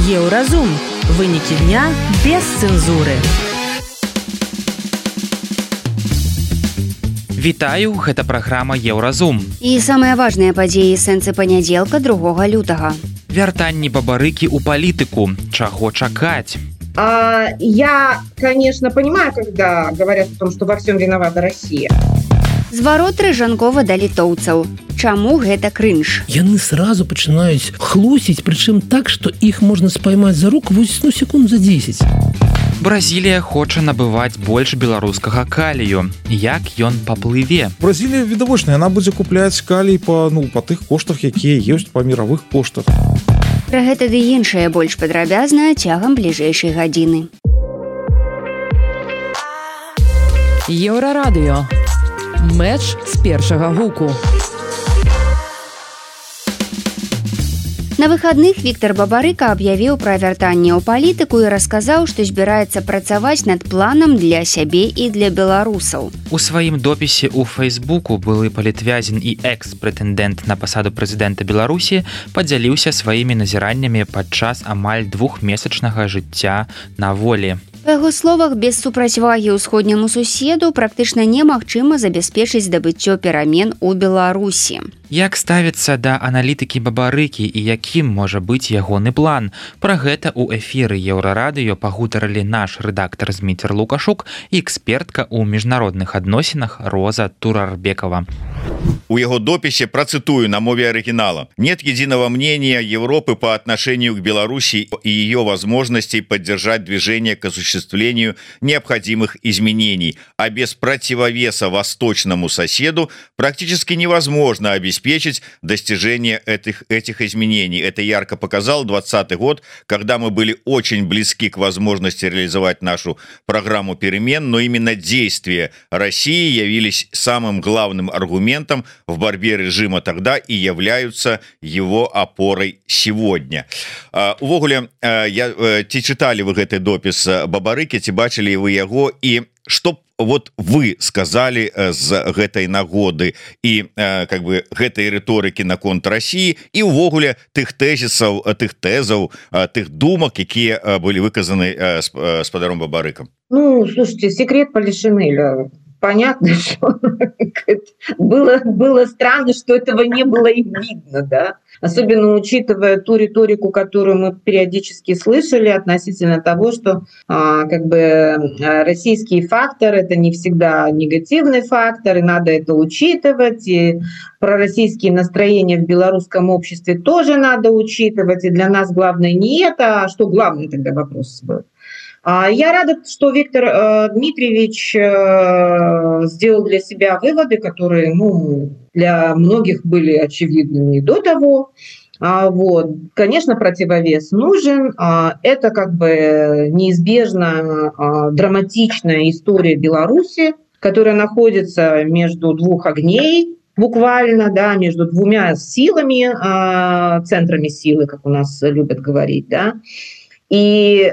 Еўразум. Вынікі дня без цэнзуры. Вітаю, гэта праграма Еўразум. І самыя важныя падзеі сэнсы панядзелка 2 лютага. Вяртанні бабарыкі ў палітыку. Чаго чакаць? Я, конечно, понимаю, когда говорят о том, что во всем виновата Россия. Зварот Рыжанкова да літоўцаў. Чаму гэта крынж? Яны сразу пачынаюць хлусіць, прычым так, што іх можна спаймаць за руку секунд за 10. Бразілія хоча набываць больш беларускага калію. Як ён паплыве? Бразілія відавочная, яна будзе купляць калій па тых коштах, якія ёсць па міровых коштах. Пра гэта ды іншае больш падрабязна цягам бліжэйшай гадзіны. Еўрарадыё. Мэч з першага гуку. На выхадных Віктор Бабарыка аб'явіў пра вяртанне ў палітыку і расказаў, што збіраецца працаваць над планам для сябе і для беларусаў. У сваім допісе ў Фейсбуку былы палітвязень і экс-прэтэндэнт на пасаду прэзідэнта Беларусі падзяліўся сваімі назіраннямі падчас амаль 2-месячнага жыцця на волі. Па яго словах, без супрацьвагі ўсходняму суседу практычна немагчыма забяспечыць здабыццё перамен у Беларусі. Як ставіцца да аналітыкі Бабарыкі і якім можа быць ягоны план? Пра гэта ў эфіры Еўрарадыё пагутарылі наш рэдактар Зміцер Лукашук і экспертка ў міжнародных адносінах Роза Турарбекова. У его дописи процитую на мове оригинала. Нет единого мнения Европы по отношению к Беларуси и ее возможностей поддержать движение к осуществлению необходимых изменений, а без противовеса восточному соседу практически невозможно обеспечить достижение этих изменений. Это ярко показал 2020 год, когда мы были очень близки к возможности реализовать нашу программу перемен, но именно действия России явились самым главным аргументом в борьбе режима тогда и являются его опорой сегодня. Увогуле, ці читали вы гэты допіс Бабарыкі, ці бачылі вы яго, і што вот вы сказали з гэтай нагоды і гэтай рыторыкі наконт России і увогуле тых тэзісаў, тых тэзаў, тых думак, якія былі выказаны спадаром Бабарыкам? Ну, слушайте, секрет Полишинеля. Понятно, что было странно, что этого не было и видно, да. Особенно учитывая ту риторику, которую мы периодически слышали относительно того, что российский фактор — это не всегда негативный фактор, и надо это учитывать, и пророссийские настроения в белорусском обществе тоже надо учитывать, и для нас главное не это, а что главное тогда вопрос был. Я рада, что Виктор Дмитриевич сделал для себя выводы, которые, для многих были очевидными и до того. Конечно, противовес нужен. Это неизбежно драматичная история Беларуси, которая находится между двух огней, буквально, да, между двумя силами, центрами силы, как у нас любят говорить, да. И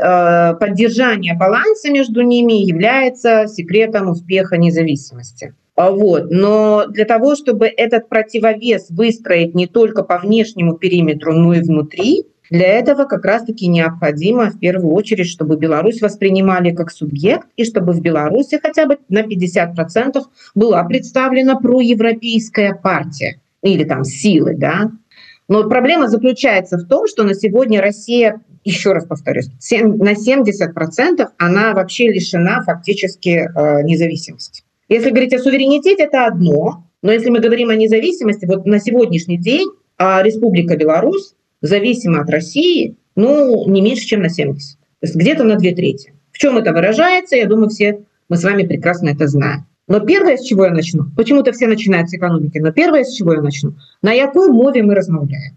поддержание баланса между ними является секретом успеха независимости. Но для того, чтобы этот противовес выстроить не только по внешнему периметру, но и внутри, для этого как раз-таки необходимо в первую очередь, чтобы Беларусь воспринимали как субъект, и чтобы в Беларуси хотя бы на 50% была представлена проевропейская партия или там силы, да. Но проблема заключается в том, что на сегодня Россия, еще раз повторюсь, на 70% она вообще лишена фактически независимости. Если говорить о суверенитете, это одно, но если мы говорим о независимости, вот на сегодняшний день Республика Беларусь зависима от России, не меньше, чем на 70%. То есть где-то на 2/3. В чем это выражается, я думаю, все мы с вами прекрасно это знаем. Но первое, с чего я начну, почему-то все начинают с экономики, но первое, с чего я начну, на якой мове мы размаўляем.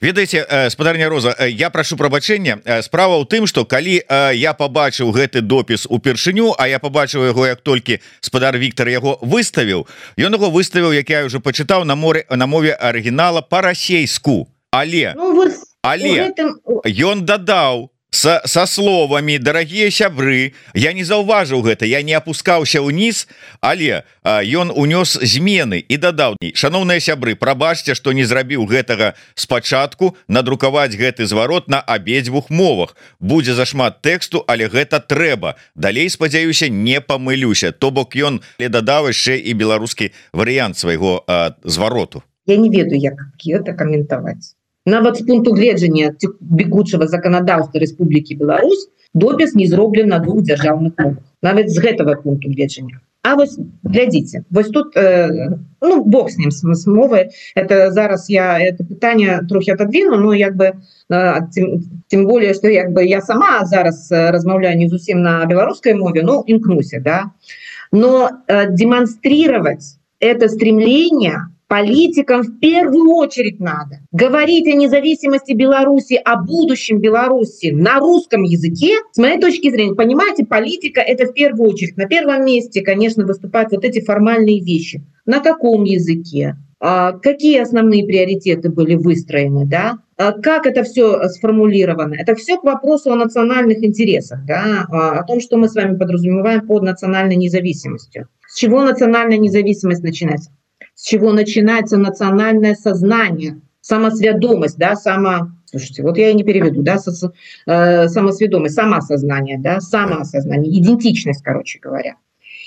Ведаеце, спадарня Роза, я прашу прабачэння. Справа ў тым, што калі я пабачыў гэты допіс упершыню, а я пабачыў яго, як толькі спадар Віктор яго выставіў, ён яго выставіў, як я ўжо пачытаў, на мове арыгінала па-расейску. Але ён дадаў со словамі дарагія сябры, я не заўважыў гэта, я не опускаўся ўніз, але ён унёс змены і дадаў: шаноўныя сябры, прабачце, што не зрабіў гэтага спачатку, надрукаваць гэты зварот на абедзвюх мовах. Будзе зашмат тэксту, але гэта трэба. Далей, спадзяюся, не памылюся. То бок ён дадаў яшчэ і беларускі варыянт свайго звароту. Я не ведаю, як гэта каментаваць. Нават з пункту гледжання бегучага заканадаўства Рэспублікі Беларусь допіс не зроблен на двух дзяржаўных мовах. Нават з гэтага пункту гледжання. А вось глядзіце, вось тут бог з ним з мовай. Это зараз я это пытанне трохі отодвину, но як бы тем более, что як бы я сама зараз размаўляю не зусім на беларускай мове, но імкнуся, да. Но демонстрировать это стремление политикам в первую очередь надо. Говорить о независимости Беларуси, о будущем Беларуси на русском языке, с моей точки зрения, понимаете, политика — это в первую очередь. На первом месте, конечно, выступают вот эти формальные вещи. На каком языке? Какие основные приоритеты были выстроены, да? Как это все сформулировано? Это все к вопросу о национальных интересах, да? О том, что мы с вами подразумеваем под национальной независимостью. С чего национальная независимость начинается? С чего начинается национальное сознание, самосведомость, да, слушайте, вот я и не переведу, да, самосведомость, самосознание, да, самоосознание, идентичность, короче говоря.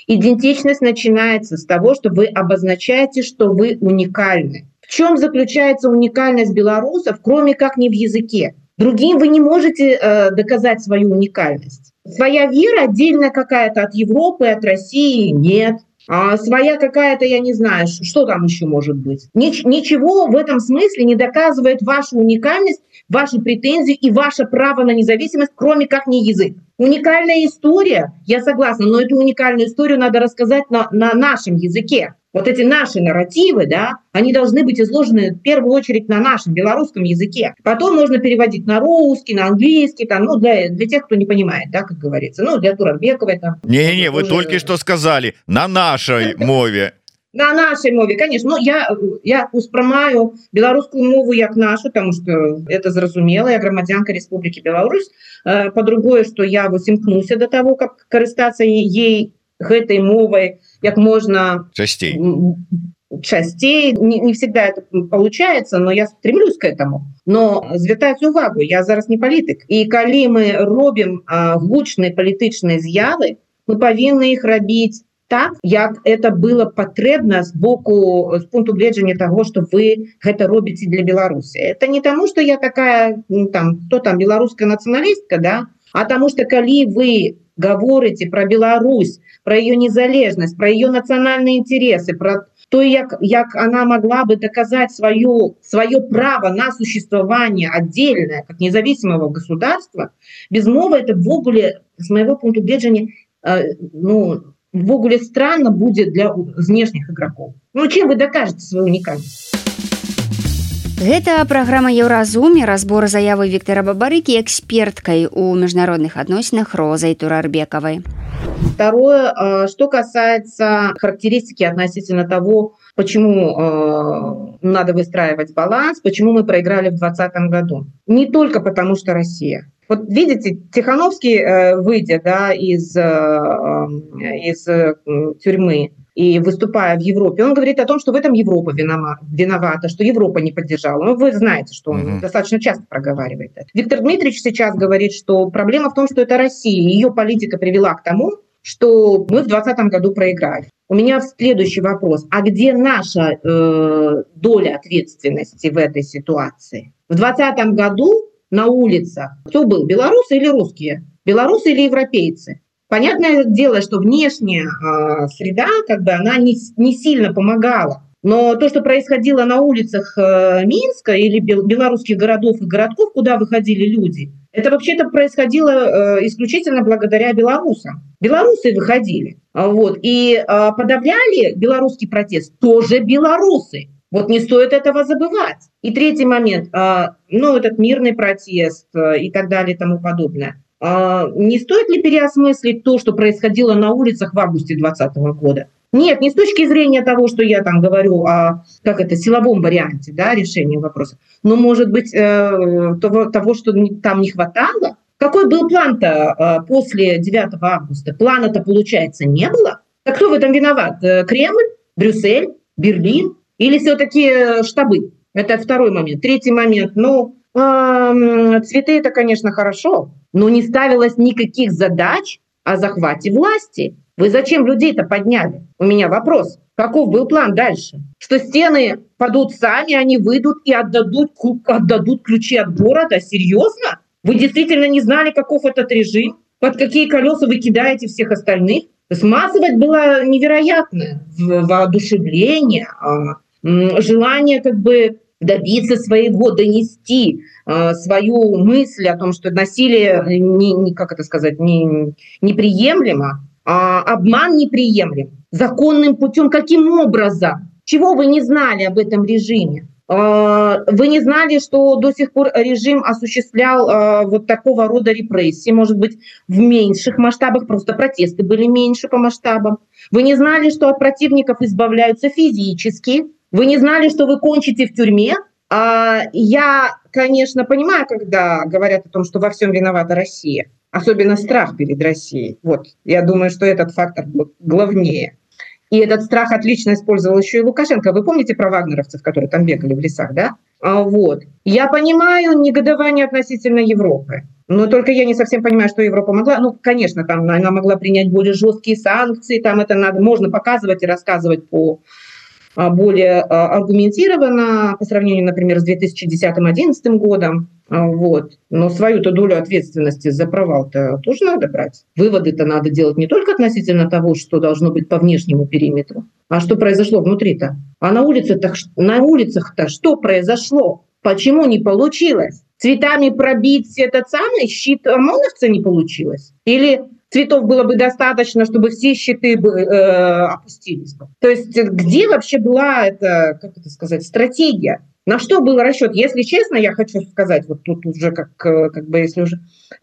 Идентичность начинается с того, что вы обозначаете, что вы уникальны. В чем заключается уникальность белорусов, кроме как не в языке? Другим вы не можете доказать свою уникальность. Своя вера отдельная какая-то от Европы, от России нет. А своя какая-то, я не знаю, что там еще может быть. Ничего в этом смысле не доказывает вашу уникальность, ваши претензии и ваше право на независимость, кроме как не язык. Уникальная история, я согласна, но эту уникальную историю надо рассказать на нашем языке. Вот эти наши нарративы, да, они должны быть изложены в первую очередь на нашем белорусском языке. Потом можно переводить на русский, на английский, там, ну, для тех, кто не понимает, да, как говорится. Ну, для Турарбековой там. Не-не, вы только что сказали, на нашей мове. На нашей мове, конечно. Ну, я успрымаю беларускую мову як нашу, потому что это зразумела, я грамадзянка Республики Беларусь. По-другое, что я вот імкнуся до того, как карыстаться ей гэтай мовай як можно часцей. Не всегда это получается, но я стремлюсь к этому. Но звяртаюць увагу, я зараз не палітык. І калі мы робім гучныя палітычныя з'явы, мы павінны іх рабіць так, як это было патрэбна з пункту гледжання того, что вы гэта робіце для Беларусі. Это не тому, что я такая, кто там, беларуская националистка, да, а тому, что калі вы говорите про Беларусь, про ее незалежность, про ее национальные интересы, про то, як она могла бы доказать свое право на существование отдельное, как независимого государства, без мовы это ввогуле, с моего пункту гледжання, ввогуле странно будет для внешних игроков. Ну, чем вы докажете свою уникальность? Гэта праграма Еўразум і разбор заявы Віктара Бабарыкі эксперткай у міжнародных адносінах Розай Турарбекавай. Второе, что касается характеристики относительно того, почему надо выстраивать баланс, почему мы проиграли в 2020 году. Не только потому, что Россия. Вот видите, Тихановский, выйдя, да, из тюрьмы и выступая в Европе, он говорит о том, что в этом Европа виновата, что Европа не поддержала. Ну, вы знаете, что он достаточно часто проговаривает это. Виктор Дмитриевич сейчас говорит, что проблема в том, что это Россия, ее политика привела к тому, что мы в 2020 году проиграли. У меня следующий вопрос. А где наша доля ответственности в этой ситуации? В 2020 году на улицах кто был? Белорусы или русские? Белорусы или европейцы? Понятное дело, что внешняя среда, она не сильно помогала. Но то, что происходило на улицах Минска или белорусских городов и городков, куда выходили люди, это вообще-то происходило исключительно благодаря белорусам. Белорусы выходили. Вот, и подавляли белорусский протест тоже белорусы. Вот не стоит этого забывать. И третий момент, этот мирный протест и так далее и тому подобное. Не стоит ли переосмыслить то, что происходило на улицах в августе 2020 года? Нет, не с точки зрения того, что я там говорю о силовом варианте, да, решения вопроса, но, может быть, того, что там не хватало, Какой был план-то после 9 августа? Плана-то, получается, не было. Так кто в этом виноват? Кремль, Брюссель, Берлин или все-таки штабы? Это второй момент. Третий момент. Цветы – это, конечно, хорошо, но не ставилось никаких задач о захвате власти. Вы зачем людей-то подняли? У меня вопрос. Каков был план дальше? Что стены падут сами, они выйдут и отдадут ключи от города? Серьезно? Вы действительно не знали, каков этот режим? Под какие колеса вы кидаете всех остальных? То есть массовость была невероятная. Воодушевление, желание добиться своего, донести свою мысль о том, что насилие неприемлемо, а обман неприемлем. Законным путем каким образом? Чего вы не знали об этом режиме? Вы не знали, что до сих пор режим осуществлял вот такого рода репрессии, может быть, в меньших масштабах, просто протесты были меньше по масштабам. Вы не знали, что от противников избавляются физически. Вы не знали, что вы кончите в тюрьме. Я, конечно, понимаю, когда говорят о том, что во всем виновата Россия, особенно страх перед Россией. Вот, я думаю, что этот фактор главнее. И этот страх отлично использовал еще и Лукашенко. Вы помните про вагнеровцев, которые там бегали в лесах, да? Вот. Я понимаю негодование относительно Европы, но только я не совсем понимаю, что Европа могла. Конечно, там она могла принять более жесткие санкции, там это можно показывать и рассказывать более аргументированно по сравнению, например, с 2010-2011 годом. Вот. Но свою-то долю ответственности за провал-то тоже надо брать. Выводы-то надо делать не только относительно того, что должно быть по внешнему периметру, а что произошло внутри-то. А на улицах-то что произошло? Почему не получилось? Цветами пробить этот самый щит ОМОНовца не получилось? Или цветов было бы достаточно, чтобы все щиты опустились бы? То есть где вообще была эта, стратегия? На что был расчет? Если честно, я хочу сказать, вот тут уже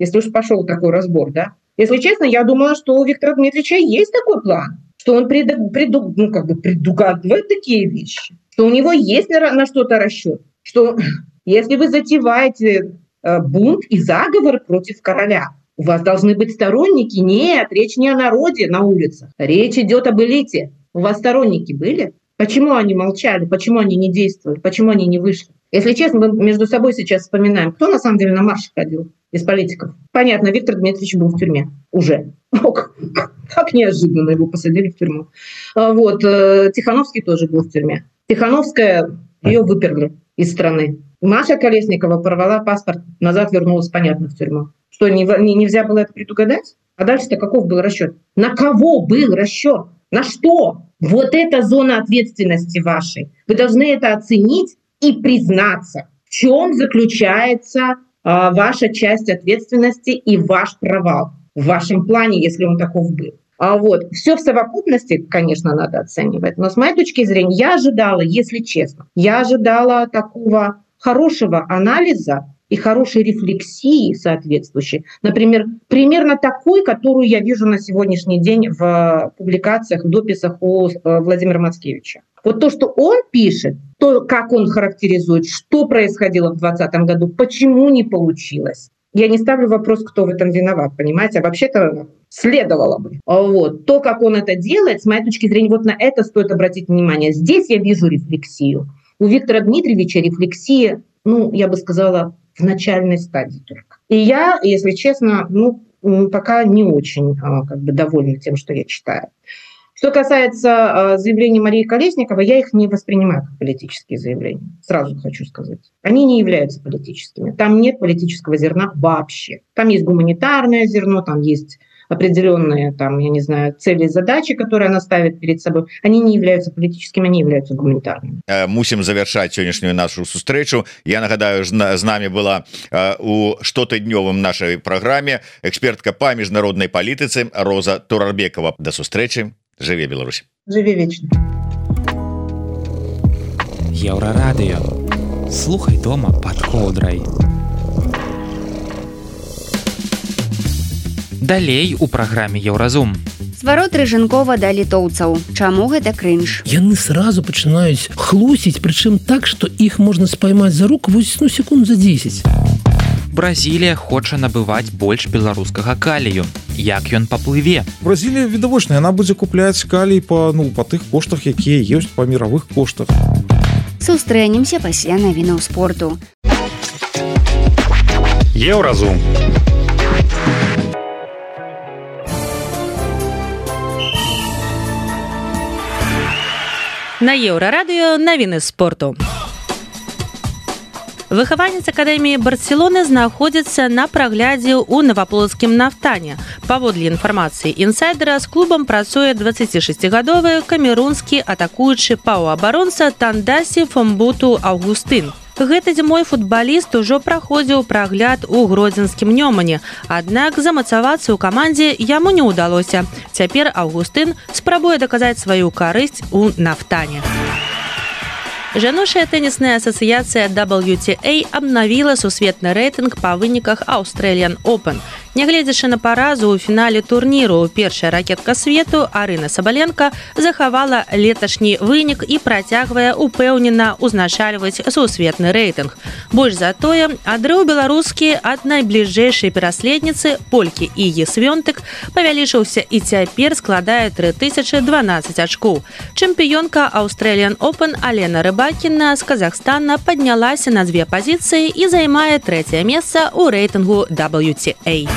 если уж пошел такой разбор, да? Если честно, я думала, что у Виктора Дмитриевича есть такой план, что он предугадывает такие вещи, что у него есть на что-то расчет, что если вы затеваете бунт и заговор против короля, у вас должны быть сторонники. Нет, речь не о народе на улицах, речь идет об элите. У вас сторонники были? Почему они молчали? Почему они не действовали? Почему они не вышли? Если честно, мы между собой сейчас вспоминаем, кто на самом деле на марш ходил из политиков. Понятно, Виктор Дмитриевич был в тюрьме уже. Как неожиданно его посадили в тюрьму. Вот. Тихановский тоже был в тюрьме. Тихановская, ее выперли из страны. Маша Колесникова порвала паспорт, назад вернулась, понятно, в тюрьму. Что, нельзя было это предугадать? А дальше-то каков был расчет? На кого был расчет? На что? Вот это зона ответственности вашей. Вы должны это оценить и признаться, в чем заключается ваша часть ответственности и ваш провал в вашем плане, если он таков был. Все в совокупности, конечно, надо оценивать. Но с моей точки зрения, я ожидала, если честно, такого хорошего анализа и хорошей рефлексии соответствующей. Например, примерно такой, которую я вижу на сегодняшний день в публикациях, в дописах у Владимира Мацкевича. Вот то, что он пишет, то, как он характеризует, что происходило в 2020 году, почему не получилось. Я не ставлю вопрос, кто в этом виноват, понимаете? А вообще-то следовало бы. То, как он это делает, с моей точки зрения, вот на это стоит обратить внимание. Здесь я вижу рефлексию. У Виктора Дмитриевича рефлексия, я бы сказала, в начальной стадии только. И я, если честно, пока не очень довольна тем, что я читаю. Что касается заявлений Марии Колесниковой, я их не воспринимаю как политические заявления. Сразу хочу сказать. Они не являются политическими. Там нет политического зерна вообще. Там есть гуманитарное зерно, там есть определенные цели и задачи, которые она ставит перед собой. Они не являются политическими, они являются гуманитарными. Мусим завершать сегодняшнюю нашу встречу. Я нагадаю, с нами была у штотыднёвым нашей программе экспертка по международной политице Роза Турарбекова. До встречи. Живи Беларусь. Живи вечно. Еўрарадыё. Слухай дома под коўдрай. Далей у праграме Еўразум. Зварот Рыжынкова да літоўцаў. Чаму гэта крынж? Яны сразу пачынаюць хлусіць, прычым так, што іх можна спаймаць за руку секунд за 10. Бразілія хоча набываць больш беларускага калію. Як ён паплыве? Бразілія відавочная, яна будзе купляць калій па тых коштах, якія ёсць па міровых коштах. Сустрэнемся пасля навінаў спорту. Еўразум. На Еўрарадыё навіны спорту. Выхаванец акадэміі Барселоны знаходзіцца на праглядзе ў наваполацкім нафтане. Паводле інфармацыі інсайдера, з клубам працуе 26-гадовы камерунскі атакуючы паўабаронца Тандасі Фомбуту Аўгустын. Гэты зімой футбаліст ужо праходзіў прагляд у гродзенскім Нёмане, аднак замацавацца ў камандзе яму не ўдалося. Цяпер Аўгустын спрабуе даказаць сваю карысць у нафтане. Жаночая тэнісная асацыяцыя WTA абнавіла сусветны рэйтынг па выніках Australian Open. Нягледзячы на паразу ў фінале турніру, першая ракетка свету Арына Сабаленка захавала леташні вынік і працягвае упэўнена ўзначальваць сусветны рэйтынг. Больш за тое, адрыў беларускі ад найбліжэйшай пераследніцы полькі Ігі Свёнтык павялічыўся і цяпер складае 3012 ачкоў. Чэмпіёнка Australian Open Алена Рыбакіна з Казахстана паднялася на 2 пазіцыі і займае 3-е месца ў рэйтынгу WTA.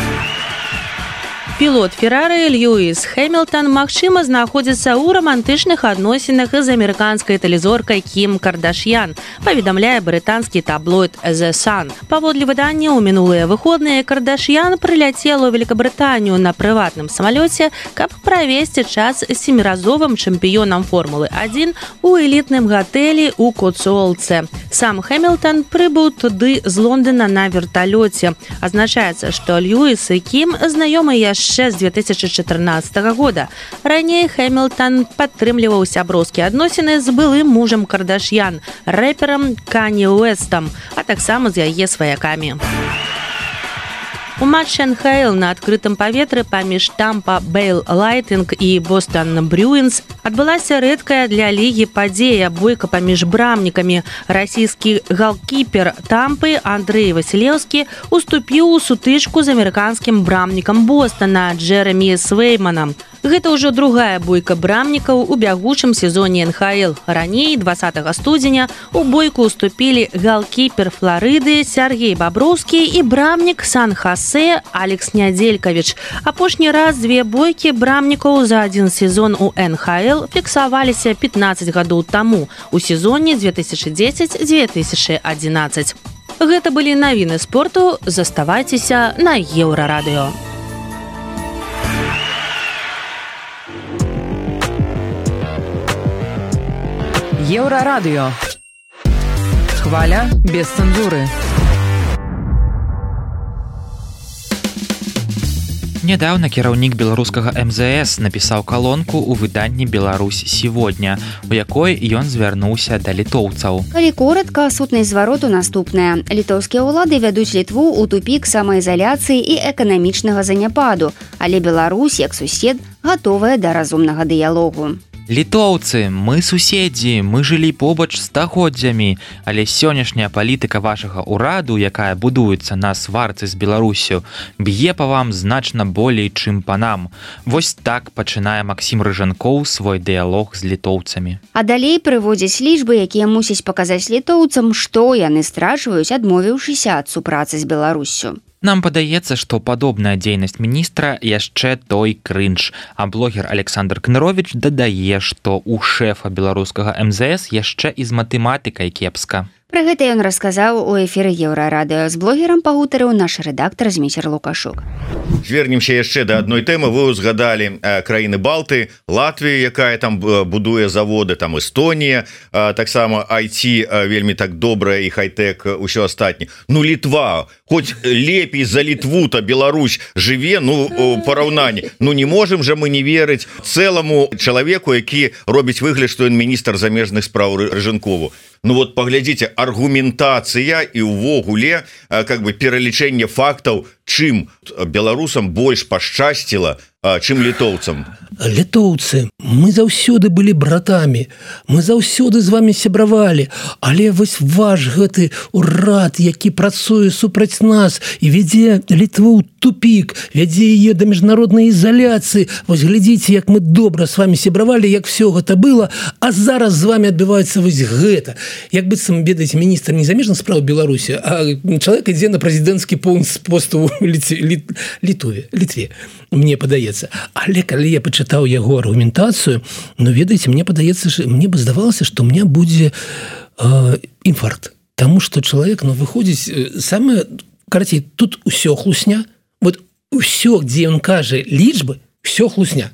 Пілот Феррары Льюіс Хэмілтан, магчыма, знаходзіцца ў рамантычных адносінах з амерыканскай тэлезоркай Кім Кардашьян, паведамляе брытанскі таблоід The Sun. Паводле выдання, ў мінулыя выходныя Кардашьян прыляцела ў Великабрытанію на прыватным самалёце, каб правесці час з 7-разовым чэмпіёнам Формулы-1 у элітным гатэлі ў Коцуолце. Сам Хэмілтан прыбыў туды з Лондона на верталёце. Азначаецца, што Льюіс і Кім знаёмы яшчэ з 2014 года. Раней Хэмілтан падтрымліваў сяброўскія адносіны з былым мужам Кардашьян, рэперам Канье Уэстам, а таксама з яе сваякамі. У матчы НХЛ на адкрытым паветры паміж Тампа Бэй Лайтинг і Бостон Брюинс адбылася рэдкая для лігі падзея бойка паміж брамнікамі. Расійскі галкіпер Тампы Андрэй Васілеўскі уступіў у сутычку з амерыканскім брамнікам Бостона Джеремі Свейманам. Гэта ўжо другая бойка брамнікаў у бягучым сезоне НХЛ. Раней, 20 студзеня, у бойку уступілі галкіпер Флорыды Сергей Баброўскі і брамнік Сан-Хасе Алекс Нядзелькавіч. Апошні раз 2 бойкі брамнікаў за адзін сезон у НХЛ фіксаваліся 15 гадоў таму, у сезоне 2010-2011. Гэта былі навіны спорту. Заставайцеся на Еўрарадыё. Еўрарадыё. Хваля без цэнзуры. Нядаўна кіраўнік беларускага МЗС напісаў калонку ў выданні «Беларусь сегодня», у якой ён звярнуўся да літоўцаў. Калі коратка, сутнасць звароту наступная. Літоўскія ўлады вядуць Літву ў тупік самаізаляцыі і эканамічнага заняпаду, але Беларусь, як сусед, гатовая да разумнага дыялогу. Літоўцы, мы суседзі, мы жылі побач стагоддзямі, але сённяшняя палітыка вашага ўраду, якая будуецца на сварцы з Беларусю, б'е па вам значна болей, чым па нам. Вось так пачынае Максім Рыжанкоў свой дыялог з літоўцамі. А далей прыводзяць лічбы, якія мусяць паказаць літоўцам, што яны страчваюць, адмовіўшыся ад супрацы з Беларуссю. Нам падаецца, што падобная дзейнасць міністра яшчэ той крынж, а блогер Александр Кныровіч дадае, што у шэфа беларускага МЗС яшчэ і з матэматыкай кепска. Пра гэта ён расказаў у эфіры Еўрарадыё. З блогерам пагутарыў наш рэдактар Зміцер Лукашук. Звернемся яшчэ да адной тэмы. Вы узгадалі краіны Балты, Латвію, якая там будуе заводы, там Эстонія, таксама IT вельмі так добрая і хай-тэк, усё астатні. Ну Літва, хоць лепей за Літву-то Беларусь жыве, ну параўнанні. Ну не можам жа мы не верыць цэламу чалавеку, які робіць выгляд, што ён міністр замежных спраў Рыжанкову. Ну вот паглядзіце, аргументацыя і ўвогуле как бы пералічэнне фактаў, чым беларусам больш пашчасціла чым літоўцам? Літоўцы, мы заўсёды былі братамі, мы заўсёды з вами сябравалі, але вось ваш гэты урад, які працуе супраць нас і вядзе Літву ў тупік, вядзе яе да міжнароднай ізаляцыі. Вось глядзіце, як мы добра з вами сябравалі, як все гэта было, а зараз з вами адбываецца вось гэта. Як быццам, ведаеце, міністр не замежных спраў Беларусі, а чалавек ідзе на прэзідэнцкі пост у Літве, мне падаецца. Але калі я пачытаў яго аргументацыю, ну, ведаеце, мне падаецца, мне бы здавалася, што у меня будзе інфаркт. Таму што чалавек, ну, выходзіць самае, карацей, тут усё хлусня. Вот усё, дзе ён кажа лічбы, всё хлусня.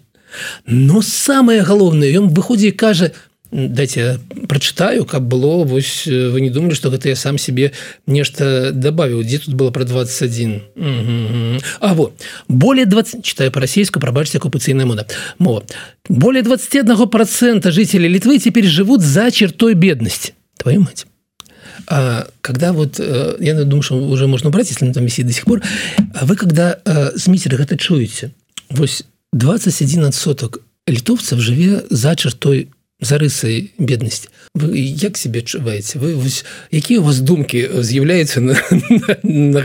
Но самае галоўнае, ён выходзіць і кажа: дайте прочитаю, как было, вось, вы не думали, что это я сам себе нечто добавил. Где тут было про 21? А вот, более 20, читаю по-российски, пробачьте, оккупационная мова. Более 21% жителей Литвы теперь живут за чертой бедности. Твою мать. А когда вот, я думаю, что уже можно убрать, если он там висит до сих пор, а вы когда с митинга это чуете, вось 21% литовцев живе за чертой, за рысай беднасці. Вы як себе адчуваеце? Якія у вас думкі з'яўляюцца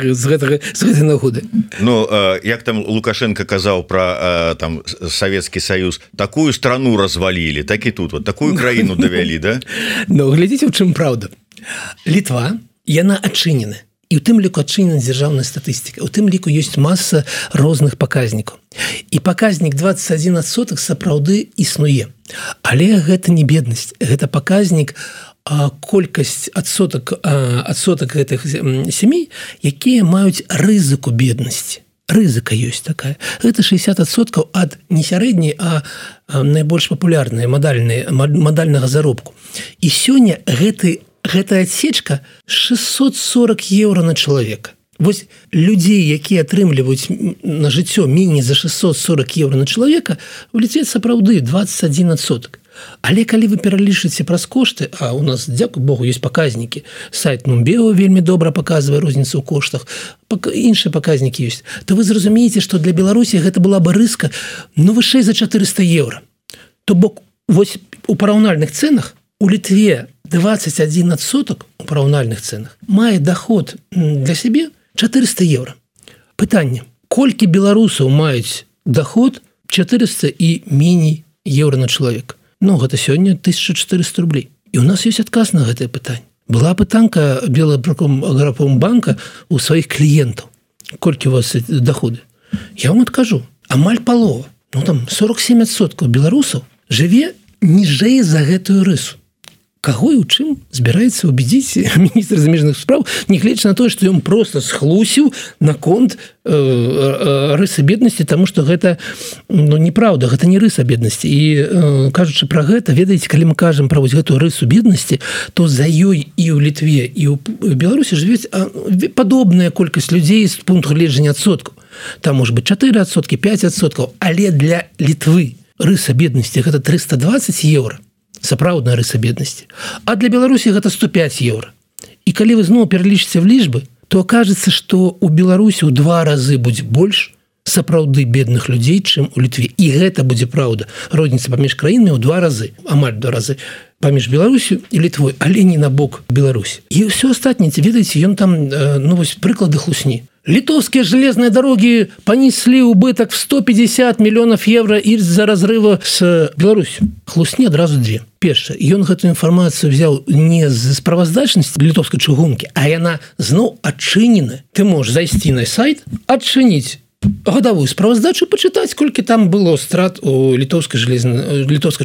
з гэтай нагоды? Ну, як там Лукашенко казаў пра там Савецкі Саюз, такую страну развалілі, так і тут, вот такую краіну давялі, да? Ну, глядзіце, у чым праўда. Літва, яна адчынена. І ў тым ліку адчынена дзяржаўная статыстыка. У тым ліку ёсць маса розных паказнікаў. І паказнік 21% сапраўды існуе. Але гэта не беднасць. Гэта паказнік колькасць адсотак гэтых сямей, якія маюць рызыку беднасці. Рызыка ёсць такая. Гэта 60% ад не сярэдняй, а найбольш папулярнай мадальнага заробку. І сёння гэтая адсечка 640 евро на чалавека. Вось людзей, якія атрымліваюць на жыццё меней за 640 евро на чалавека, у Літве сапраўды 21%. Але калі вы пералічыце праз кошты, а у нас, дзякуй Богу, ёсць паказнікі, сайт Нумбео вельмі добра паказвае розніцу ў коштах, іншыя паказнікі ёсць, то вы зразумееце, што для Беларусі гэта была бы рыска, ну, вышэй за 400 евро. То бок, вось у параўнальных цэнах у Літве 21% у параўнальных цэнах мае доход для сябе 400 евро. Пытанне: колькі беларусаў маюць доход 400 і меней евро на чалавека? Ну, гэта сёння 1400 рублей. І у нас ёсць адказ на гэтае пытанне. Была пытанка Белаграпромбанка у сваіх кліентаў: колькі у вас доходы? Я вам адкажу: амаль палова, ну там 47% беларусаў жыве ніжэй за гэтую рысу. Каго і ў чым збіраецца убедзіць міністр замежных спраў, нягледзячы на тое, што ён проста схлусіў наконт рысы беднасці, таму што гэта, ну, неправда, гэта не рыса беднасці. І кажучы пра гэта, ведаеце, калі мы кажам пра вось гэтую рысу беднасці, то за ёй і ў Літве, і ў Беларусі жывець падобная колькасць людзей з пункту гледжання адсоткаў. Там можа быць 4%, 5%, але для Літвы рыса беднасці гэта 320 евро. Сапраўдная рыса беднасці. А для Беларусі гэта 105 евро. І калі вы зноў пералічыце в лічбы, то окажется, што у Беларусі ў 2 разы будзе больш сапраўды бедных людзей, чым у Літве. І гэта будзе праўда. Розніца паміж краінамі ў 2 разы, амаль 2 разы паміж Беларусю і Літвой, але не на бок Беларусі. І ўсё астатняе, ведаеце, ён там, ну вось прыклады хлусні. Литовские железные дороги понесли убыток в 150 миллионов евро из-за разрыва с Беларусью. Хлусні адразу две. Першае, ён гэту інфармацыю взял не з справаздачнасці літоўскай чыгункі, а яна зноў адчынена. Ты можаш зайсці на сайт, адчыніць гадавую справаздачу, пачытаць, колькі там было страт у літоўскай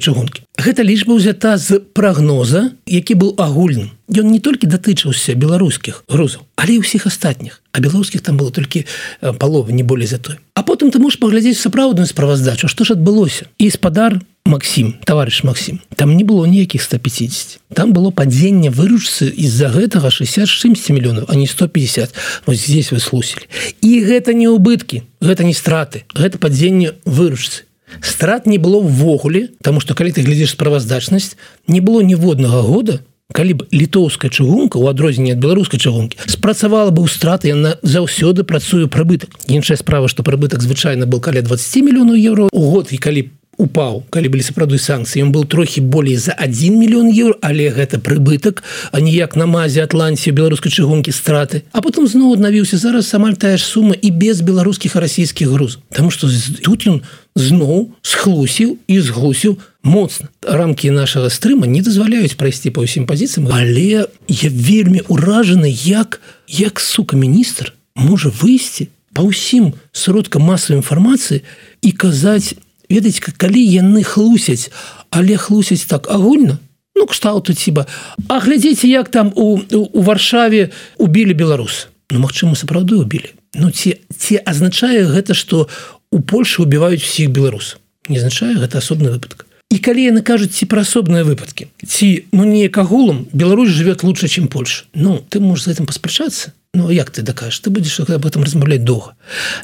чыгункі. Гэта лічба ўзята з прагноза, які быў агульным. Ён не толькі датычыўся беларускіх грузаў, але і ўсіх астатніх. А беларускіх там было толькі палова, не болей за той. А потым ты можаш паглядзець сапраўдную справаздачу, што ж адбылося. І спадар Максим, товарищ Максим, там не было ніякіх 150. Там было падзенне выручцы из-за гэтага 60 миллионов, а не 150. Вот здесь вы слусили. І гэта не убыткі, гэта не страты, гэта падзенне выручцы. Страт не было ўвогуле, таму што калі ты глядзіш справаздачнасць, не было ніводнага года, калі б літоўская чыгунка у адрозненне ад беларускай чыгункі спрацавала бы ў страты, яна заўсёды працуе прыбытак. Іншая справа, што прыбытак звычайна был каля 20 мільёнаў еўро у год, і калі упаў, калі былі сапраўды санкцыі, ён был трохі болей за 1 мільён еўро, але гэта прыбытак, а не як на мазе Атланціі беларускай чыгункі страты. А потым зноў аднавіўся, зараз амаль тая ж сума і без беларускіх і расійскіх грузаў. Таму што тут ён зноў схлусіў і зглусіў моцна. Рамкі нашага стрыма не дазваляюць прайсці па ўсім пазіцыям, але я вельмі ўражаны, як сука міністр можа выйсці па ўсім сродкам масавай інфармацыі і казаць, ведаеце, калі яны хлусяць, але хлусяць так агульна, ну, кшталту ціба, а глядзіце, як там у Варшаве убілі беларуса. Ну, магчыма, сапраўды убілі. Ну, ці азначае гэта, што у Польшы убіваюць усіх беларусаў? Не азначае, гэта асобны выпадак. І калі яны кажуць ці пра асобныя выпадкі, ці, ну, неяк агулам, Беларусь жывет лучше, чым Польша. Ну, ты можаш за этим паспрачацца. Ну, як ты дакажаш? Ты будзеш об этом размаўляць доўга.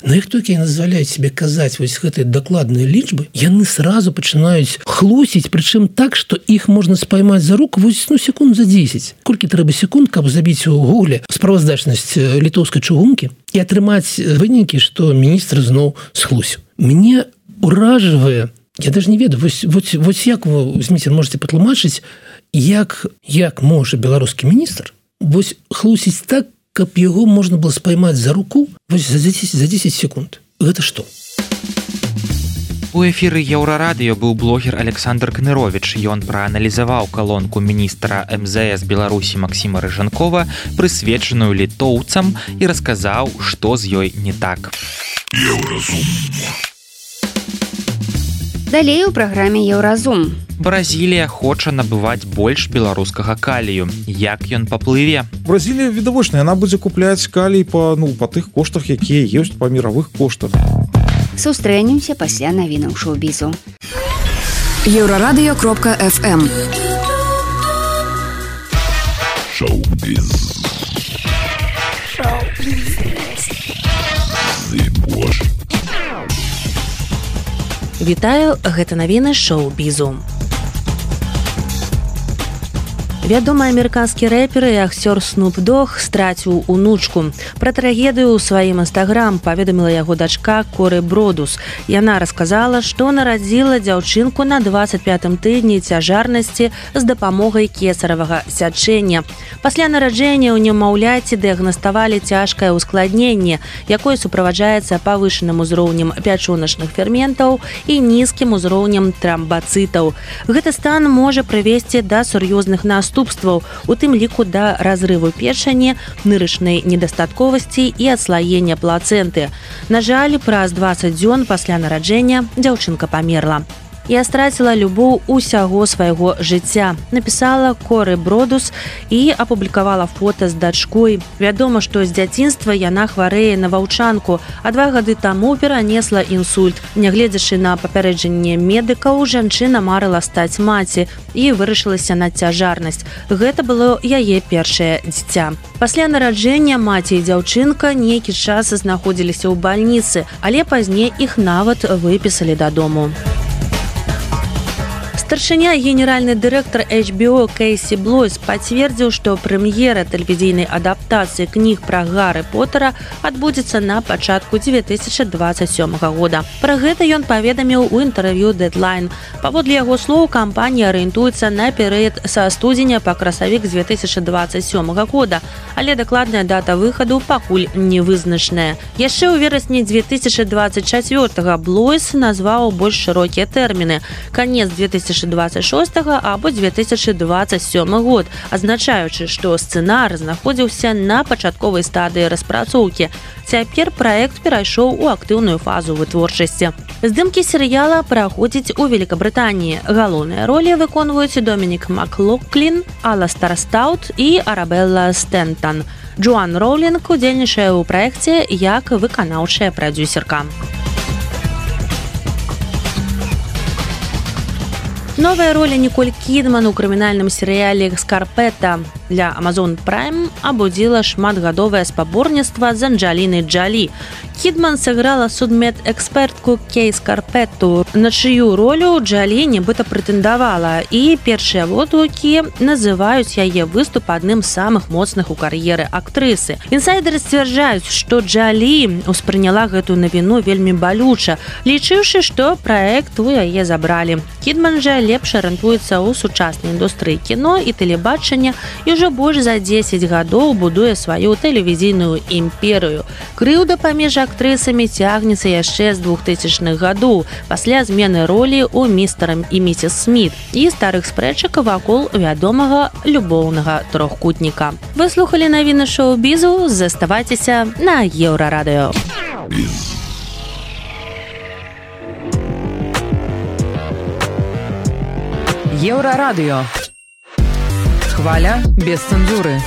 Но як толькі яны дазваляюць себе казаць вось гэтыя дакладныя лічбы, яны сразу пачынаюць хлусіць, прычым так, што іх можна спаймаць за руку вось, ну, секунд за 10. Колькі трэба секунд, каб забіць у гугле справаздачнасць літоўскай чыгункі і атрымаць вынікі, што міністр зноў схлусіў. Мне уражвае, я даже не ведаю, вось як вы, возьмите, можете патлумачыць, як можа беларускі міністр вось хлусіць так, каб яго можна было спаймаць за руку вось за 10 секунд. Гэта што? У эфіры Еўрарадыё быў блогер Александр Кныровіч. Ён прааналізаваў калонку міністра МЗС Беларусі Максіма Рыжанкова, прысвечаную літоўцам, і расказаў, што з ёй не так. Еўразум. Далей у праграме Еўразум. Бразілія хоча набываць больш беларускага калію. Як ён паплыве? Бразілія відавочна, яна будзе купляць калій па тых коштах, якія ёсць па міровых коштах. Сустрэнемся пасля навінаў шоу-бізу. Еўрарадыё.фм Шоу-біз. Вітаю, гэта навіны шоу-бізу. Вядомы амерыканскі рэпер і акцёр Снуп Дог страціў унучку. Пра трагедыю ў сваім інстаграм паведаміла яго дачка Коры Бродус. Яна расказала, што нарадзіла дзяўчынку на 25-м тыдні цяжарнасці з дапамогай кесаравага сячэння. Пасля нараджэння ў немаўляці дыягнаставалі цяжкае ўскладненне, якое суправаджаецца павышаным узроўнем пячоначных ферментаў і нізкім узроўнем трамбацытаў. Гэты стан можа прывесці да сур'ёзных наступстваў, у тым ліку да разрыву печані, нырычнай недастатковасці і адслаення плацэнты. На жаль, праз 20 дзён пасля нараджэння дзяўчынка памерла. Я страціла любоў усяго свайго жыцця, напісала Коры Бродус і апублікавала фота з дачкой. Вядома, што з дзяцінства яна хварэе на ваўчанку, а 2 гады таму перанесла інсульт. Нягледзячы на папярэджанне медыкаў, жанчына марыла стаць маці і вырашылася на цяжарнасць. Гэта было яе першае дзіця. Пасля нараджэння маці і дзяўчынка нейкі час знаходзіліся ў бальніцы, але пазней іх нават выпісалі дадому. Старшыня генеральны дырэктар HBO Кейсі Блойс пацвердзіў, што прэм'ера тэлевізійнай адаптацыі кніг пра Гарры Поттера адбудзецца на пачатку 2027 года. Пра гэта ён паведаміў у інтэрв'ю Deadline. Паводле яго слоў, кампанія арыентуецца на перыяд са студзеня па красавік 2027 года, але дакладная дата выхаду пакуль не вызначаная. Яшчэ ў верасні 2024 Блойс назваў больш шырокія тэрміны – канец 2026 або 2027 год, азначаючы, што сцэнар знаходзіўся на пачатковай стадыі распрацоўкі. Цяпер праект перайшоў у актыўную фазу вытворчасці. Здымкі серыяла праходзяць у Великабрытаніі. Галоўныя ролі выконваюць Домінік Маклохлін, Аластар Стаут і Арабелла Стэнтон. Джоан Роулінг удзельнічае ў праекце як выканаўчая прадзюсерка. Новая роля Николь Кідман у крымінальным серыяле «Скарпета» для Amazon Prime абудзіла шматгадовае спаборніцтва з Анджалінай Джолі. Кідман сыграла судмедэкспертку Кей Скарпетту, на чыю ролю Джолі нібыта прэтэндавала, і першыя водгукі называюць яе выступ адным з самых моцных у кар'еры актрысы. Інсайдеры сцвярджаюць, што Джолі успрыняла гэтую навіну вельмі балюча, лічыўшы, што праект у яе забралі. Кідман жа лепш арыентуецца ў сучаснай індустрыі кіно і тэлебачання і ўжо больш за 10 гадоў будуе сваю тэлевізійную імперыю. Крыўда паміж актрысамі цягнецца яшчэ з 2000-х гадоў, пасля змены ролі ў «Містарам і місіс Сміт» і старых спрэчак вакол вядомага любоўнага трохкутніка. Вы слухалі навіны шоу-бізу, заставайцеся на Еўрарадыё. Еўрарадыё. Хваля без цэнзуры.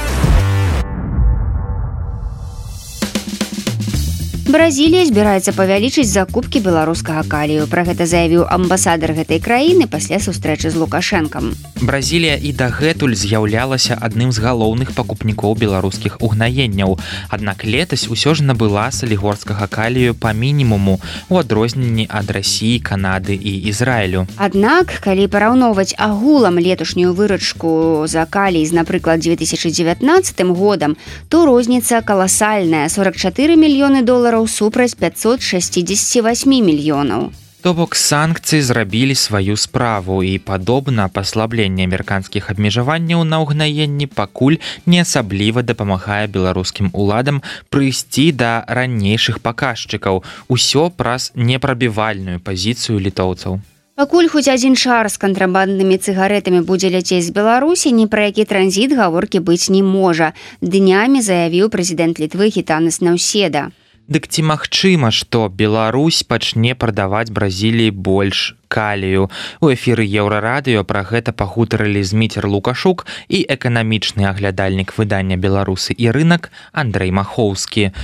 Бразілія збіраецца павялічыць закупкі беларускага калію. Пра гэта заявіў амбасадар гэтай краіны пасля сустрэчы з Лукашэнкам. Бразілія і дагэтуль з'яўлялася адным з галоўных пакупнікоў беларускіх угнаенняў. Аднак летась усё ж набыла салігорскага калію па мінімуму у адрозненні ад Расіі, Канады і Ізраілю. Аднак, калі параўноўваць агулам леташнюю выручку за калій з, напрыклад, 2019 годам, то розніца каласальная – 44 мільёны долараў супраць 568 мільёнаў. То бок санкцыі зрабілі сваю справу і, падобна, паслабленне амерыканскіх абмежаванняў на ўгнаенні пакуль не асабліва дапамагае беларускім уладам прыйсці да ранейшых паказчыкаў. Усё праз непрабівальную пазіцыю літоўцаў. Пакуль хоць адзін шар з кантрабанднымі цыгарэтамі будзе ляцець з Беларусі, ні пра які транзіт гаворкі быць не можа. Днямі заявіў прэзідэнт Літвы Гітанас Наўседа. Дык ці магчыма, што Беларусь пачне прадаваць Бразіліі больш калію? У эфіры Еўрарадыё пра гэта пагутарылі Зміцер Лукашук і эканамічны аглядальнік выдання «Беларусы і рынак» Андрэй Махоўскі.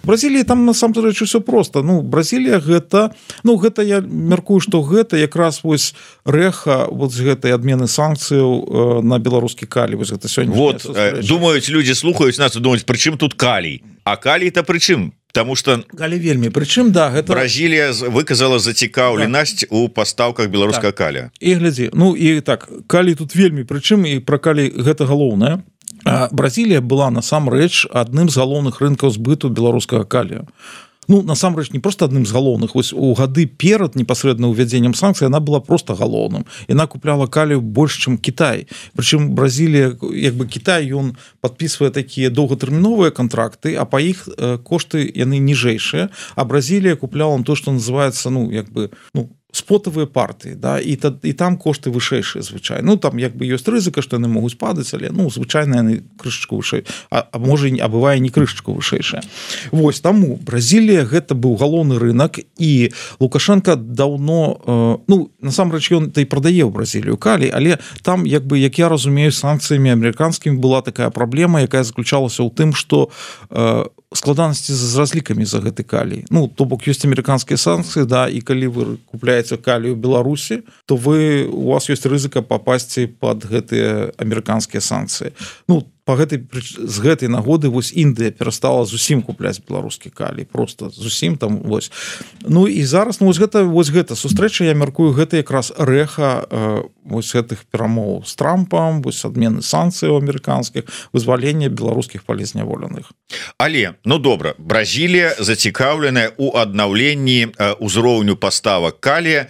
Бразілія там насамрэч усё проста. Бразілія гэта, я мяркую, што гэта якраз вось рэха вот з гэтай адмены санкцыяў на беларускі калій. Вось гэта сёння. Вот, думаюць, людзі слухаюць нас і думаюць, прычым тут калій? А калій-то прычым? Таму што вельмі прычым гэта Бразілія выказала зацікаўленасць у пастаўках беларускага калія. І глядзі, і так, калій тут вельмі прычым, і пра калій гэта галоўнае. Бразілія была насамрэч адным з галоўных рынкаў збыту беларускага калію. Насамрэч, не просто адным з галоўных. Вось у гады перад непасрэдна ўвядзеннем санкцый яна была просто галоўным. Яна купляла калію больш, чым Кітай. Прычым Бразілія, Кітай, ён падпісвае такія доўгатэрміновыя кантракты, а па іх кошты яны ніжэйшыя, а Бразілія купляла то, што называецца, спотавыя партыі, да, і там кошты вышэйшыя звычайна. Там ёсць рызыка, што яны могуць падаць, але звычайна яны крышачку вышэй, а можа а бывае не крышачку вышэйшая. Вось таму Бразілія гэта быў галоўны рынок, і Лукашенко даўно насамрэч ён і прадае ў Бразілію калій, але там як я разумею, санкцыямі амерыканскімі была такая праблема, якая заключалася ў тым, што складанасці з разлікамі за гэты калій. То бок ёсць амерыканскія санкцыі, да, і калі вы купляеце калію ў Беларусі, то у вас ёсць рызыка папасці пад гэтыя амерыканскія санкцыі. З гэтай нагоды вось Індыя перастала зусім купляць беларускі калій, просто зусім там вось. І зараз вось гэта сустрэча, я мяркую, гэта якраз рэха вось гэтых перамоў з Трампам, вось адмены санкцыяў амерыканскіх, вызвалення беларускіх палізняволеных. Але, добра, Бразілія зацікаўленая ў аднаўленні ўзроўню паставак калія,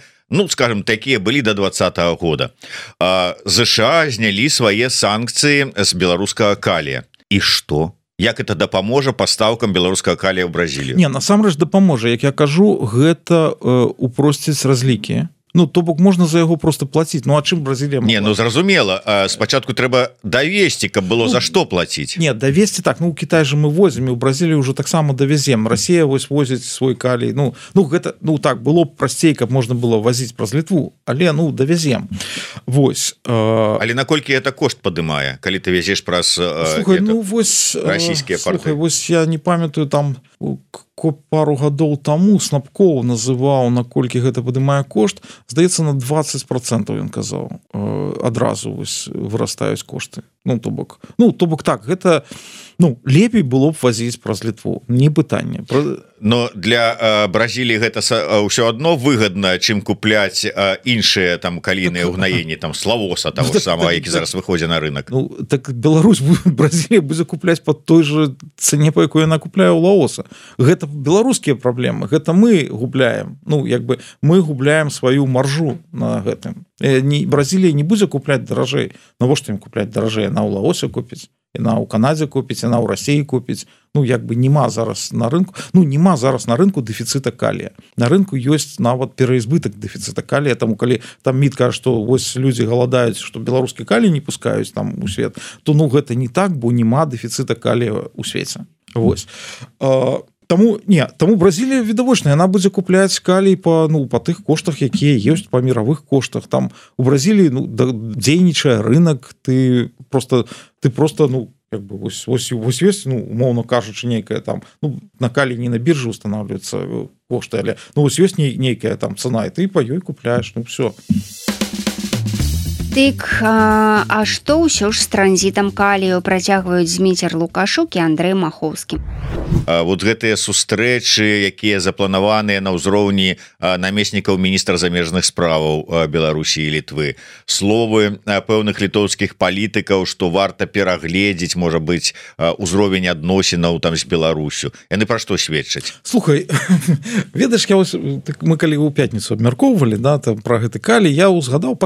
скажем, такія былі до 2020 года. ЗША знялі свае санкцыі з беларускага калія. І што? Як это дапаможа пастаўкам беларускага калія ў Бразілію? Насамрэч дапаможа. Як я кажу, гэта упросціць разлікі. То бок можна за яго просто плаціць. А чым Бразілія? Зразумела. Спачатку трэба давесці, каб было за што плаціць. Давесці так. У Кітай же мы возім, і ў Бразілію ўжо таксама давезем. Расія вось возіць свой калій. Гэта, так, было б прасцей, каб можна было возіць праз Літву, але, давезем. Вось. Але наколькі это кошт падымае, калі ты везеш праз расійскія порты? Слухай, вось я не памятаю, там пару гадоў таму Снапкоў называў, наколькі гэта падымае кошт, здаецца, на 20% ён казаў. Адразу вырастаюць кошты. То бок так, гэта лепей было б вазіць праз Літву, не пытанне. Но для Бразіліі гэта ўсё адно выгадна, чым купляць іншыя там калійныя ўгнаенні, там славоса таго самого, які зараз выходзіць на рынок. Так Беларусь, Бразілія будзе купляць па той жа цане, па якой яна купляе ў Лаоса. Гэта беларускія праблемы, гэта мы губляем. Мы губляем сваю маржу на гэтым. Бразілія не будзе купляць даражэй. Навошта ім купляць даражэй? Яна ў Лаосе купіць, яна ў Канадзе купіць, яна ў Расіі купіць. Нема зараз на рынку, нема зараз на рынку дэфіцыта калія. На рынку ёсць нават пераізбытак дэфіцыта калія, таму калі там МІД кажа, што вось людзі галадаюць, што беларускі калій не пускаюць там у свет, то гэта не так, бо нема дэфіцыта калія ў свеце. Вось. Таму Бразілія відавочна, яна будзе купляць калій па тых коштах, якія ёсць, па міравых коштах. Там у Бразіліі дзейнічае рынок, ты просто вось ёсць, умоўна кажучы, нейкая там, на калій не на біржы устанавливаются кошты, але вось ёсць нейкая там цана, і ты па ёй купляеш, все. Дык, а што ўсё ж з транзітам калію працягваюць Зміцер Лукашук і Андрэй Махоўскі? Вот гэтыя сустрэчы, якія запланаваныя на ўзроўні намеснікаў міністра замежных справаў Беларусі і Літвы, словы пэўных літоўскіх палітыкаў, што варта перагледзець, можа быць, узровень адносінаў там з Беларусю. Яны пра што сведчаць? Слухай, ведаеш, мы калі ў пятніцу абмяркоўвалі пра гэты калій, я узгадаў,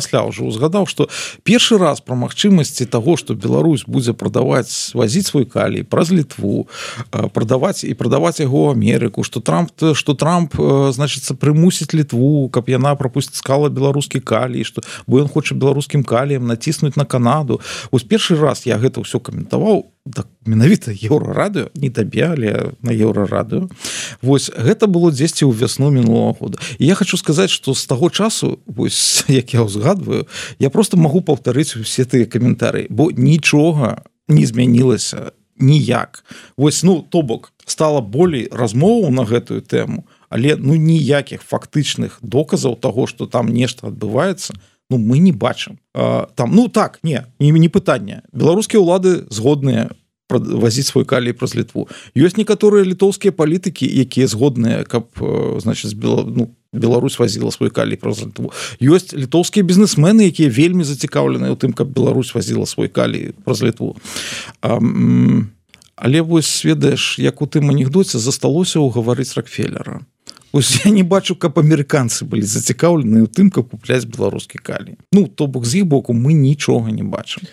што першы раз пра магчымасці таго, што Беларусь будзе вазіць свой калій праз Літву, прадаваць яго ў Амерыку, што Трамп, значыцца, прымусіць Літву, каб яна прапускала беларускі калій, бо ён хоча беларускім каліем націснуць на Канаду. Вось першы раз я гэта ўсё каментаваў, менавіта Еўрарадыё, не табе, але на Еўрарадыё. Вось гэта было дзесьці ў вясну мінулого года. І я хочу сказаць, што з таго часу, вось як я ўзгадваю, я просто магу паўтарыць усе тыя каментары, бо нічога не змянілася ніяк. Вось, то бок, стала болей размоваў на гэтую тэму, але ніякіх фактычных доказаў таго, што там нешта адбываецца, мы не бачым. Не пытанне. Беларускія ўлады згодныя вазіць свой калій праз Літву. Ёсць некаторыя літоўскія палітыкі, якія згодныя, каб, Беларусь вазіла свой калій праз Літву. Ёсць літоўскія бізнесмены, якія вельмі зацікаўленыя ў тым, каб Беларусь вазіла свой калій праз Літву. Але вось, ведаеш, як у тым анекдоце, засталося ўгаварыць Рокфеллера. Вось я не бачу, каб амерыканцы былі зацікаўлены ў тым, каб купляць беларускі калій. То бок, з іх боку мы нічога не бачым.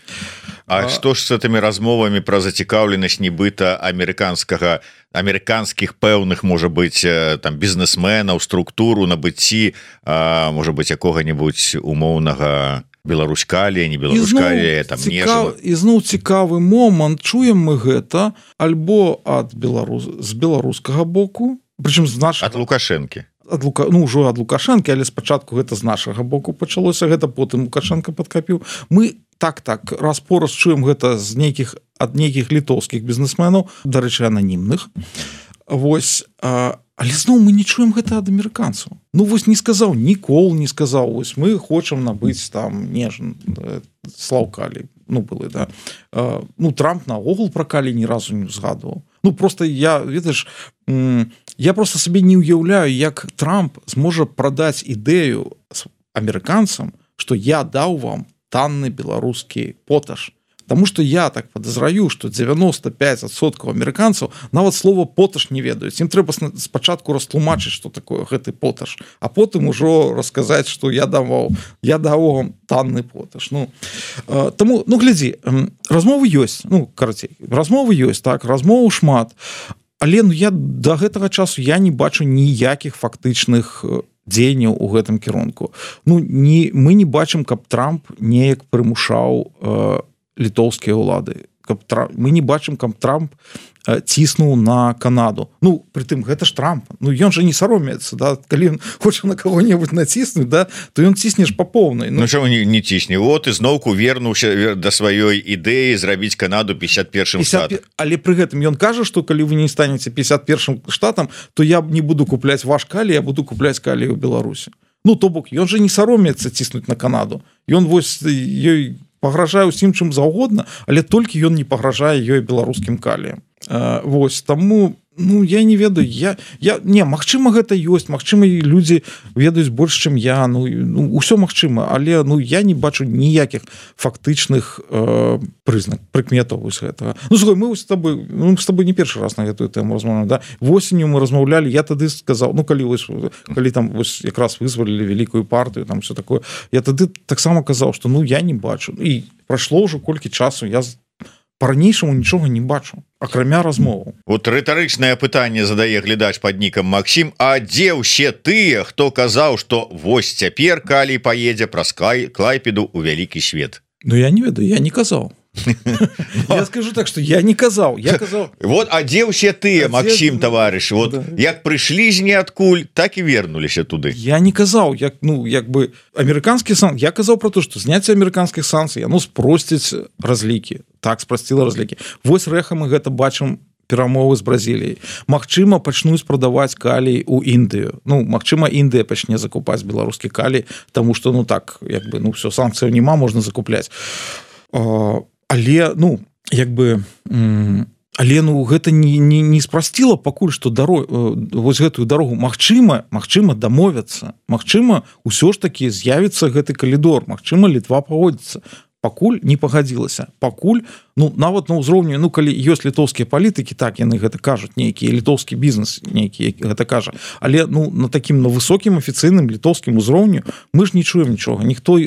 А што ж з гэтымі размовамі пра зацікаўленасць нібыта амерыканскіх пэўных, можа быць, там бізнесменаў, структуру, набыцці, можа быць, якога-небудзь умоўнага Беларусь калія, не Беларусь калія, там нежава. Ізноў цікавы момант, чуем мы гэта альбо з беларускага боку, прычым з нашага... Ад Лукашэнкі. Ужо ад Лукашэнкі, але спачатку гэта з нашага боку пачалося, гэта потым Лукашэнка падкапіў. Мы раз-пораз чуем гэта ад нейкіх літоўскіх бізнесменаў, дарэчы, ананімных. Вось, але зноў мы не чуем гэта ад амерыканцаў. Вось не сказаў, нікол не сказаў, вось мы хочам набыць там слаўкалій. Былы, да. Трамп наогул пра калій ні разу не згадваў. Просто я просто сабе не ўяўляю, як Трамп зможа прадаць ідэю амерыканцам, што я даў вам танны беларускі поташ. Таму што я так падазраю, што 95% амерыканцаў нават слова поташ не ведаюць. Ім трэба спачатку растлумачыць, што такое гэты поташ, а потым ужо расказаць, што я даў вам танны поташ. Таму, глядзі, размовы ёсць, карацей, размовы ёсць, так, размоваў шмат, але я да гэтага часу я не бачу ніякіх фактычных дзеянняў у гэтым кірунку. Мы не бачым, каб Трамп неяк прымушаў літоўскія ўлады. мы не бачым, каб Трамп ціснуў на Канаду. Ну, притым гэта ж Трамп, ну ён же не саромецца, да? Калі ён хоча на кого-небудзь націснуць, да? То ён ціснеш па поўнай. Ну чаму не цісне? Вот ізноўку вернуўся да сваёй ідэі зрабіць Канаду 51-м штатам. Але пры гэтым ён кажа, што калі вы не станеце 51-м штатам, то я не буду купляць ваш калій, я буду купляць калій у Беларусі. Ну, то бок, ён же не саромецца ціснуць на Канаду. Ён вось ёй пагражае ўсім чым заўгодна, але толькі ён не пагражае ёй беларускім каліем. Вось, таму, ну, я не ведаю, не, магчыма гэта ёсць, магчыма і людзі ведаюць больш, чым я, ну, ўсё магчыма, але, ну, я не бачу ніякіх фактычных прыкметаў вось гэтага. Ну, слухай, мы з тобой не першы раз на гэтую тэму размаўляем, да? Восенню мы размаўлялі, я тады сказаў, ну, калі там вось якраз вызвалілі вялікую партыю, там все такое, я тады таксама казаў, што, ну, я не бачу. І прайшло ўжо колькі часу, я по-ранейшаму нічога не бачу, акрамя размову. Вот рытарычнае пытанне задае глядач пад нікам Максім, а дзе ўсе тыя, хто казаў, што вось цяпер калій паедзе праз Клайпеду ў вялікі свет? Ну, я не ведаю, я не казаў. Я скажу так, что я не казаў. Вот, а дзе ўсе тыя, Максім, таварыш? Вот, як прыйшлі з ніадкуль, так і вернуліся туды. Я не казаў, як бы амерыканскі санкцыі. Я казаў про то, што зняцце амерыканскіх санкцый, яно спросціць разлікі. Так, спрасціла разлікі. Вось рэха мы гэта бачым перамовы з Бразіліяй. Магчыма, пачнуць прадаваць калій у Індыю. Ну, магчыма, Індыя пачне закупаць беларускі калій, таму што, ну так, як бы, ну, все, санкцыяў няма, можна закупляць. Але, ну, як бы, але, ну, гэта не спрасціла пакуль, што вось гэтую дарогу магчыма дамовяцца, магчыма, усё ж такі з'явіцца гэты калідор, магчыма, Літва пагодзіцца. Пакуль не пагадзілася. Пакуль, ну, нават на ўзроўні, ну, калі ёсць літоўскія палітыкі, так, яны гэта кажуць, нейкі літоўскі бізнес, нейкі гэта кажа. Але, ну, на такім, на высокім афіцыйным літоўскім узроўню мы ж не чуем нічога. Ніхто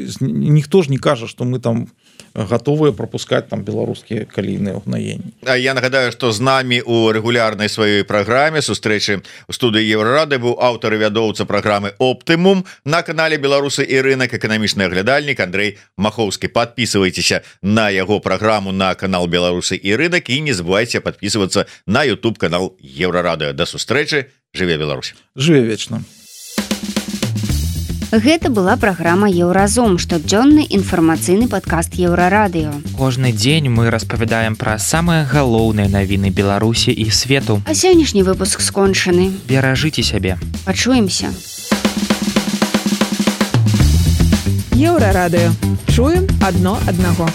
ж не кажа, што мы там готовыя пропускаць там беларускія калійныя ўгнаенні. А я нагадаю, што з намі у рэгулярнай сваёй праграме сустрэчы ў студыі Еўрарады быў аўтар і вядоўца праграмы «Оптымум» на канале «Беларусы і рынок», эканамічны аглядальнік Андрэй Махоўскі. Подписывайтеся на яго праграму на канал «Беларусы і рынок» і не забывайте подписываться на YouTube канал Еўрарады. До сустрэчы. Жыве Беларусь. Жыве вечна. Гэта была праграма «Еўразом», штодзённы інфармацыйны падкаст Еўрарадыё. Кожны дзень мы распавядаем пра самыя галоўныя навіны Беларусі і свету. А сённяшні выпуск скончаны. Беражыце сябе. Пачуемся. Еўрарадыё. Чуем адно аднаго.